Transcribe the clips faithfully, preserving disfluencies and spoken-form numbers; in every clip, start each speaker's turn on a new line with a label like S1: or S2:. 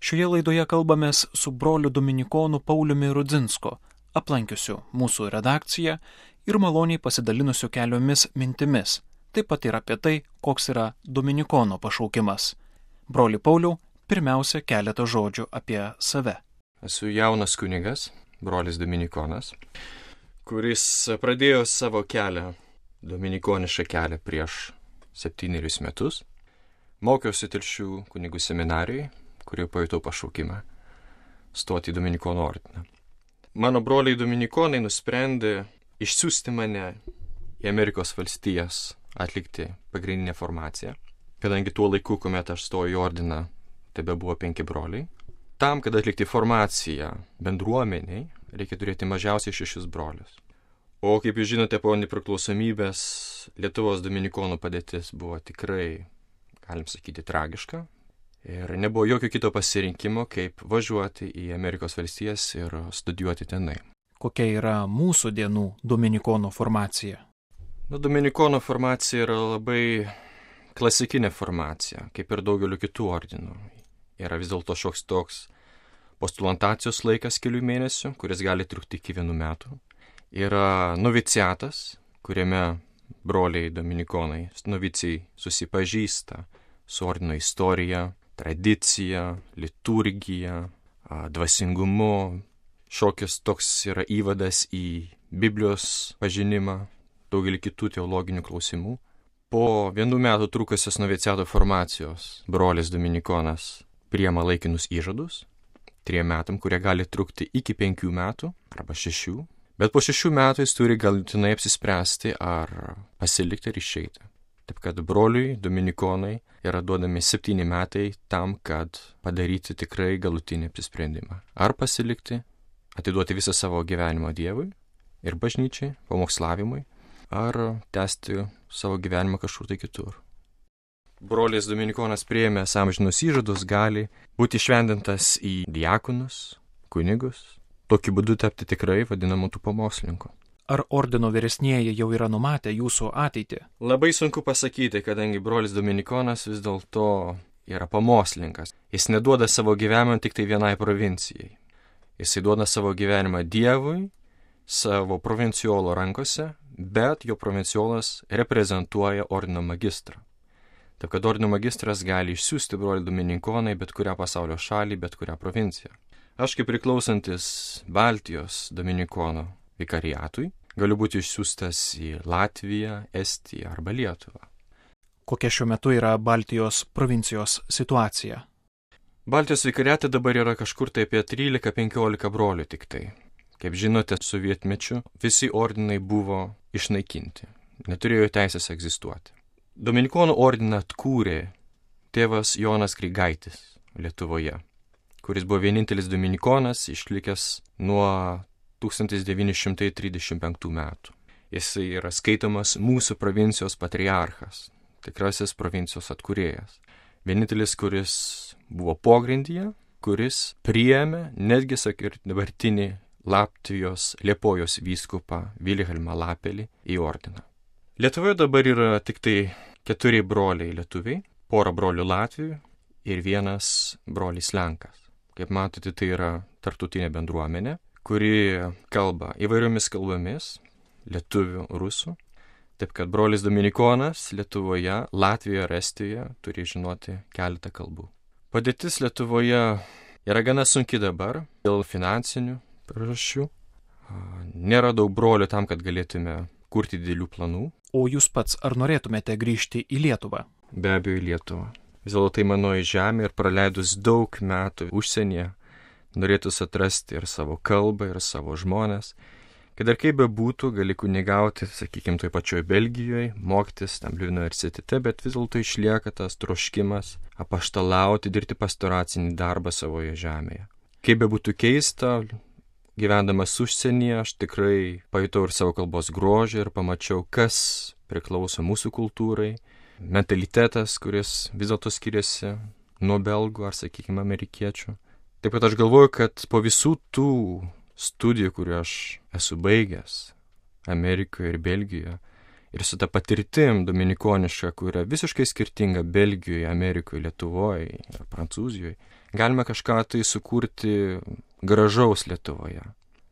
S1: Šioje laidoje kalbamės su broliu dominikonu Pauliumi Rudzinsku, aplankiusiu mūsų redakciją ir maloniai pasidalinusiu keliomis mintimis, taip pat ir apie tai, koks yra dominikono pašaukimas. Broli Pauliau, pirmiausia keletą žodžių apie save.
S2: Esu jaunas kunigas, brolis dominikonas, kuris pradėjo savo kelią, dominikonišką kelią prieš septynerius metus. Mokiausi Telšių kunigų seminarijai, kurio pajutau pašaukimą stoti į Dominikonų ordiną. Mano broliai dominikonai nusprendė išsiųsti mane į Amerikos valstijas atlikti pagrindinę formaciją, kadangi tuo laiku, kuomet aš stojau į ordiną, tebe buvo penki broliai. Tam, kad atlikti formaciją bendruomeniai, reikia turėti mažiausiai šešis brolius. O kaip jūs žinote, po nepriklausomybės Lietuvos dominikonų padėtis buvo tikrai, galim sakyti, tragiška. Ir nebuvo jokio kito pasirinkimo, kaip važiuoti į Amerikos valstijas ir studijuoti tenai.
S1: Kokia yra mūsų dienų dominikono formacija?
S2: Nu, dominikono formacija yra labai klasikinė formacija, kaip ir daugeliu kitų ordinų. Yra vis dėlto šioks toks postulantacijos laikas kelių mėnesių, kuris gali trukti iki vienų metų. Yra noviciatas, kuriame broliai dominikonai, novicijai susipažįsta su ordino istorija, tradicija, liturgija, dvasingumu. Šokis toks yra įvadas į Biblijos pažinimą, daugelį kitų teologinių klausimų. Po vienų metų trukusios noviciato formacijos brolis dominikonas priima laikinus įžadus, trim metam, kurie gali trukti iki penkių metų arba šešių. Bet po šešių metų jis turi galutinai apsispręsti, ar pasilikti ar išeiti. Taip kad broliui dominikonai yra duodami septyni metai tam, kad padaryti tikrai galutinį apsisprendimą. Ar pasilikti, atiduoti visą savo gyvenimą Dievui ir bažnyčiai, pamokslavimui, ar tęsti savo gyvenimą kažkur tai kitur. Brolis dominikonas priėmęs amžinus įžadus gali būti šventintas į diakonus, kunigus, tokiu būdu tapti tikrai vadinamų tų pamokslininkų.
S1: Ar ordino vyresnieji jau yra numatę jūsų ateitį?
S2: Labai sunku pasakyti, kadangi brolis dominikonas vis dėlto yra pamokslininkas. Jis neduoda savo gyvenimą tik tai vienai provincijai. Jis duoda savo gyvenimą Dievui, savo provinciolo rankose, bet jo provinciolas reprezentuoja ordino magistrą. Taip kad ordino magistras gali išsiųsti brolį dominikoną į bet kurią pasaulio šalį, bet kurią provinciją. Aš kaip priklausantis Baltijos dominikono vikariatui galiu būti išsiųstas į Latviją, Estiją arba Lietuvą.
S1: Kokia šiuo metu yra Baltijos provincijos situacija?
S2: Baltijos vikariate dabar yra kažkur tai apie trylika penkiolika brolių tik tai. Kaip žinote, sovietmečiu visi ordinai buvo išnaikinti, neturėjo teisės egzistuoti. Dominikonų ordiną atkūrė tėvas Jonas Grigaitis Lietuvoje, kuris buvo vienintelis dominikonas išlikęs nuo tūkstantis devyni šimtai trisdešimt penktų metų. Jis yra skaitomas mūsų provincijos patriarchas, tikrasis provincijos atkūrėjas. Vienintelis, kuris buvo pogrindyje, kuris priėmė netgi, sakir, dabartinį Latvijos Liepojos vyskupą Vilhelmą Lapelį į ordiną. Lietuvoje dabar yra tik tai keturi broliai lietuviai, pora brolių Latvių ir vienas brolis Lenkas. Kaip matote, tai yra tarptautinė bendruomenė, kuri kalba įvairiomis kalbomis, lietuvių, rusų. Taip kad brolis dominikonas Lietuvoje, Latvijoje ir Estijoje turi žinoti keletą kalbų. Padėtis Lietuvoje yra gana sunki dabar dėl finansinių priežasčių. Nėra daug brolių tam, kad galėtume kurti didelių planų.
S1: O jūs pats ar norėtumėte grįžti į Lietuvą?
S2: Be abejo, į Lietuvą. Vis dėlto tai manoji žemė ir praleidus daug metų užsienyje, norėtųsi atrasti ir savo kalbą, ir savo žmones. Kad ir kaip bebūtų, gali kunigauti, sakykime, toj pačioj Belgijoje, mokytis tam universitete, bet vis dėlto išlieka tas troškimas apaštalauti, dirbti pastoracinį darbą savoje žemėje. Kaip bebūtų keista, gyvendamas užsienyje, aš tikrai pajutau ir savo kalbos grožį ir pamačiau, kas priklauso mūsų kultūrai, mentalitetas, kuris vis dėlto skiriasi nuo belgų ar, sakykime, amerikiečių. Taip pat aš galvoju, kad po visų tų studijų, kurių aš esu baigęs Amerikoje ir Belgijoje, ir su ta patirtim dominikoniška, kuri yra visiškai skirtinga Belgijoje, Amerikoje, Lietuvoje ir Prancūzijoje, galime kažką tai sukurti gražaus Lietuvoje.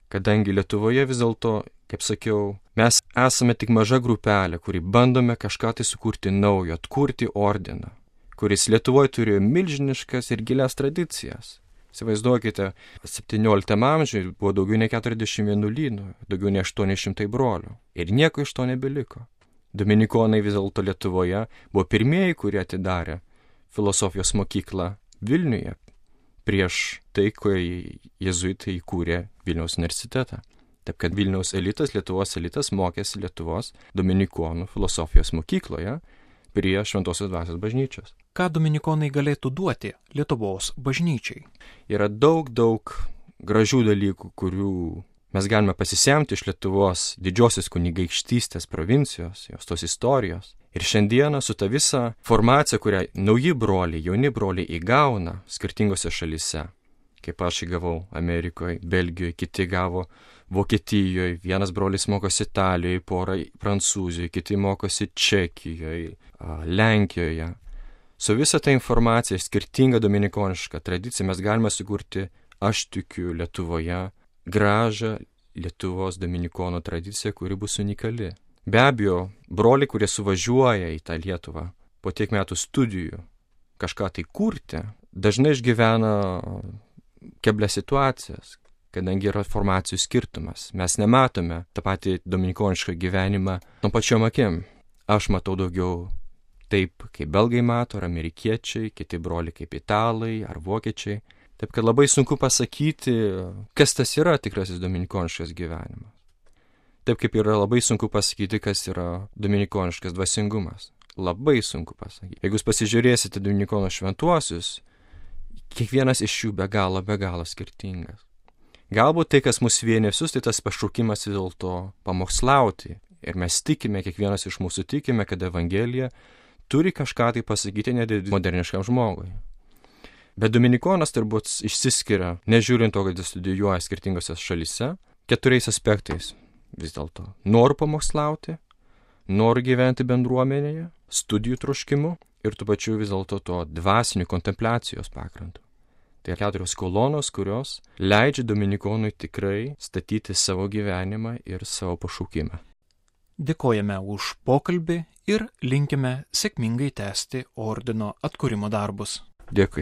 S2: Kadangi Lietuvoje vis dėlto, kaip sakiau, mes esame tik maža grupelė, kuri bandome kažką tai sukurti naujo, atkurti ordiną, kuris Lietuvoje turėjo milžiniškas ir gilias tradicijas. Įsivaizduokite, septynioliktame amžiuje buvo daugiau nei keturiasdešimt vienuolynų, daugiau nei aštuoni šimtai brolių. Ir nieko iš to nebeliko. Dominikonai vis dėlto Lietuvoje buvo pirmieji, kurie atidarė filosofijos mokyklą Vilniuje prieš tai, kai jėzuitai įkūrė Vilniaus universitetą. Taip kad Vilniaus elitas, Lietuvos elitas mokėsi Lietuvos dominikonų filosofijos mokykloje prie Šventosios Dvasios bažnyčios.
S1: Ką dominikonai galėtų duoti Lietuvos bažnyčiai?
S2: Yra daug, daug gražių dalykų, kurių mes galime pasisemti iš Lietuvos didžiosios kunigaikštystės provincijos, jos tos istorijos. Ir šiandieną su ta visa formacija, kurią nauji broliai, jauni broliai įgauna skirtingose šalyse, kaip aš įgavau Amerikoje, Belgijoje, kiti gavo Vokietijoje, vienas brolis mokosi Italijoje, pora Prancūzijoje, kiti mokosi Čekijoje, Lenkijoje. Su visa ta informacija, skirtinga dominikoniška tradicija, mes galime sukurti, aš tikiu, Lietuvoje gražią Lietuvos dominikonų tradiciją, kuri bus unikali. Be abejo, broliai, kurie suvažiuoja į tą Lietuvą po tiek metų studijų kažką tai kurti, dažnai išgyvena keblias situacijas, kadangi yra formacijų skirtumas. Mes nematome tą patį dominikonišką gyvenimą nuo pačiom akim. Aš matau daugiau taip, kaip belgai mato, ar amerikiečiai, kiti broliai kaip italai ar vokiečiai. Taip kad labai sunku pasakyti, kas tas yra tikrasis dominikoniškas gyvenimas. Taip kaip yra labai sunku pasakyti, kas yra dominikoniškas dvasingumas. Labai sunku pasakyti. Jeigu jūs pasižiūrėsite dominikono šventuosius, kiekvienas iš jų be galo, be galo skirtingas. Galbūt tai, kas mus vienė visus, tai tas pašaukimas vis dėlto pamokslauti. Ir mes tikime, kiekvienas iš mūsų tikime, kad Evangelija turi kažką tai pasakyti net moderniškam žmogui. Bet dominikonas turbūt išsiskiria, nežiūrint to, kad jis studijuoja skirtingose šalyse, keturiais aspektais. Vis dėlto noriu pamokslauti, noriu gyventi bendruomenėje, studijų troškimu ir tuo pačiu vis dėlto to dvasinių kontempliacijos pagrindu. Tai keturios kolonos, kurios leidžia dominikonui tikrai statyti savo gyvenimą ir savo pašaukimą.
S1: Dėkojame už pokalbį ir linkime sėkmingai tęsti ordino atkūrimo darbus.
S2: Dėkui.